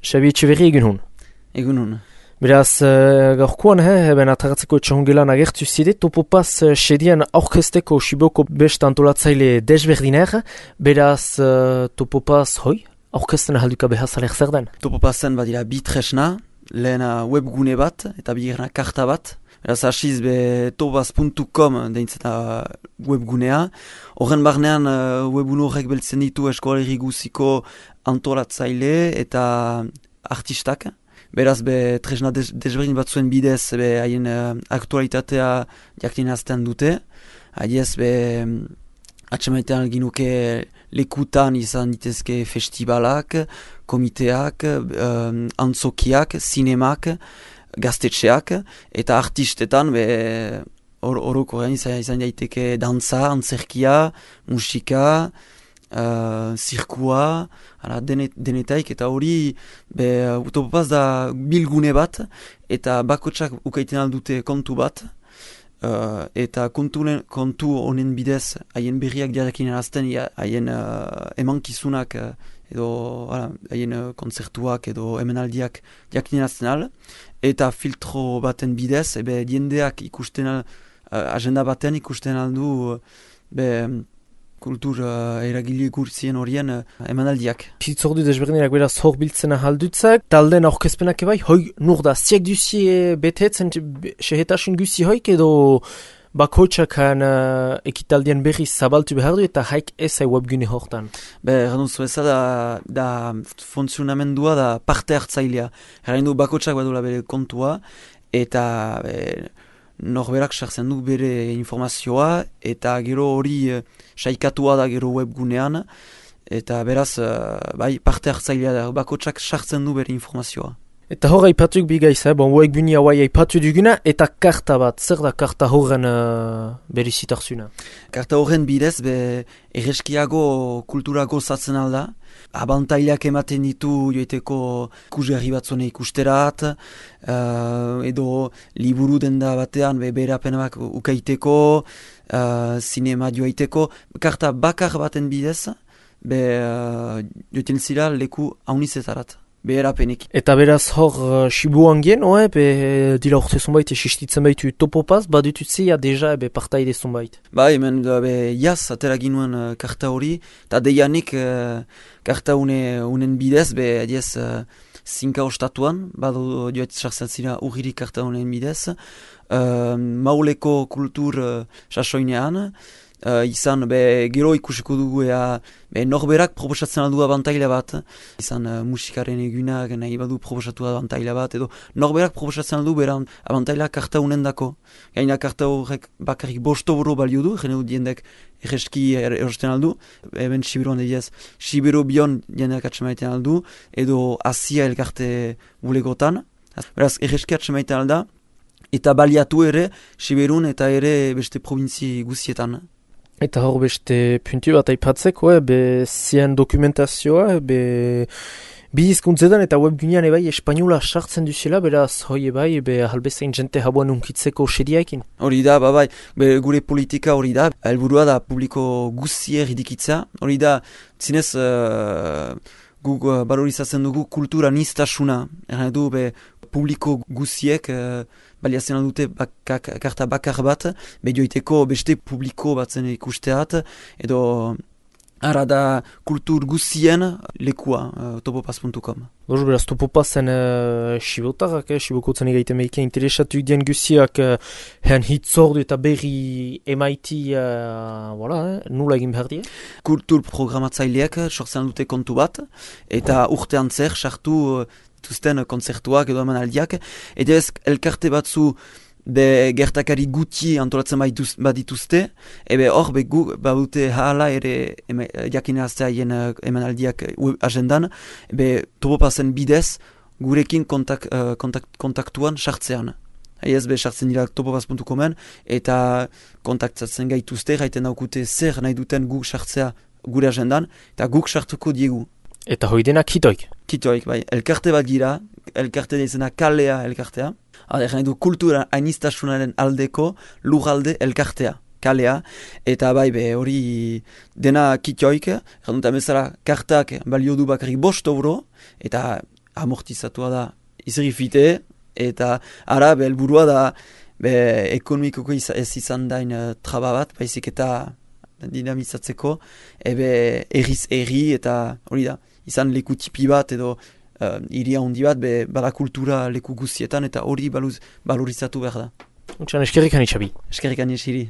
Xabi Etxeberri egun hon. Egun hon. Beraz, gaurkoan, ben ataratzeko etxahongelan agertu zide, Topopaz sedian aurkezteko Siboko best antolatzaile desberdiner, beraz, Topopaz, aurkezten ahalduka behazalek zer den? Topopazen badira bi tresna, lehena webgune bat eta bigarna karta bat. Beraz, hasiz topopaz.com deintzeta webgunea. Horren barnean webgune horrek beltzen ditu eskolarri guziko antolatzaile eta artistak. Beraz, tresna desberdin batzuen bidez haien aktualitatea jakinazten dute. Haiez, atxemaitean ginuke lekutan izan ditezke festivalak, komiteak, antzokiak, zinemak, gaztetxeak, eta artistetan orokorrean izan daiteke dantza, antzerkia, musika, zirkua, denetaik, eta hori Topopaz da bilgune bat, eta bakotsak ukaiten aldute kontu bat, eta kontu honen bidez haien berriak diarekin erazten, haien emankizunak edo haien kontzertuak edo emenaldiak jakin erazten al, eta filtro baten bidez, diendeak ikusten agenda baten ikusten aldu kultur eragile gurtzien horien emanaldiak. Pitzordu desberdinak beraz hor biltzen ahaldutzak, talden aurkezpenak ebai, nur da, ziak duzie betetzen sehetasun guzi hoik edo bakotxakan ekitaldien berri zabaltu behar du eta haik ezai webgune hortan? Erranduzu eza da funtzionamendua da parte hartzailea. Errandu bakotxak badula bere kontua eta norberak sartzen du bere informazioa eta gero hori saikatua da gero webgunean eta beraz parte hartzailea da bakotxak sartzen du bere informazioa. Eta hor aipatuk bigaiz, webgune hauai aipatu duguna eta karta bat, zer da karta horren berizitarzuna? Karta horren bidez erreskiago kulturago zatzen alda, abantailak ematen ditu joiteko ikusgarri batzune ikusterat, edo liburu denda batean berapenak ukaiteko, zinema joaiteko, karta bakar baten bidez, joiten zira leku haunizetarat. Beherapenik. Eta beraz hor Sibuan gen, dira urte zonbait esistitzen baitu Topopaz, badutuzia deja partaide zonbait. Hemen jaz atera ginuen karta hori, eta deianik karta unen bidez, adiez zinka ostatuan, badu joet sartzen zira urgiri karta unen bidez, mauleko kultur sasoinean, izan gero ikusiko dugu norberak proposatzen aldu abantaila bat, izan musikaren egunak nahi badu proposatu abantaila bat, edo norberak proposatzen aldu bera abantaila karta unen dako. Gaina karta horrek bakarrik bostoboro balio du, jene dut jendek erreski erosten aldu, eben Siberuan ediaz, Sibero bion jendeak atxemaiten aldu, edo Asia elkarte bulegotan. Beraz, erreski atxemaiten alda, eta baliatu ere Siberun eta ere beste provintzi guzietan. Eta hor beste puntu bat aipatzeko, zien dokumentazioa, bi hizkuntzetan eta webgunean ebai espainola sartzen duzela, beraz hoi ebai halbezain jente habuan unkitzeko sediaekin. Hori da, gure politika hori da, helburua da publiko guzier idikitza, hori da, zinez guk balorizatzen dugu kultura niztasuna, erran du publiko guziek baliatzen dute karta bakar bat, joiteko beste publiko batzen ikusteat, edo ara da kultur guzien lekua, topopaz.com. Beraz, Topopazen Sibotarrak, Sibokotzen egaiten meike interesatu dien guziak hean hitzordu eta berri emaiti nula egin behar die? Kultur programatzaileak sortzen dute kontu bat, eta urtean zer sartu dituzten konzertuak edo emanaldiak, eta ez elkarte batzu gertakari guti antolatzen badituzte, hor badute hala ere jakinaztea haien emanaldiak agendan, Topopazen bidez gurekin kontaktuan sartzean. Ez sartzen dira topopaz.comen eta kontaktatzen gaituzte, gaiten daukute zer nahi duten guk sartzea gure agendan, eta guk sartuko diegu. Eta hoi denak kitoik? Kitoik, elkarte bat gira, elkarte deizena kalea elkartea. Nahi du kultura ainistasunaren aldeko lugalde elkartea, kalea. Eta hori dena kitoik, erranduta bezala kartak balio du bakarrik €5, eta amortizatua da izrifite, eta ara helburua da ekonomikoko ez izan dain traba bat, baizik eta dinamizatzeko, erriz erri eta hori da, izan leku tipi bat edo iria handi bat, bada kultura leku guztietan eta hori balorizatu behar da. Eskerrik ani, Xabi. Eskerrik ani, Xiri.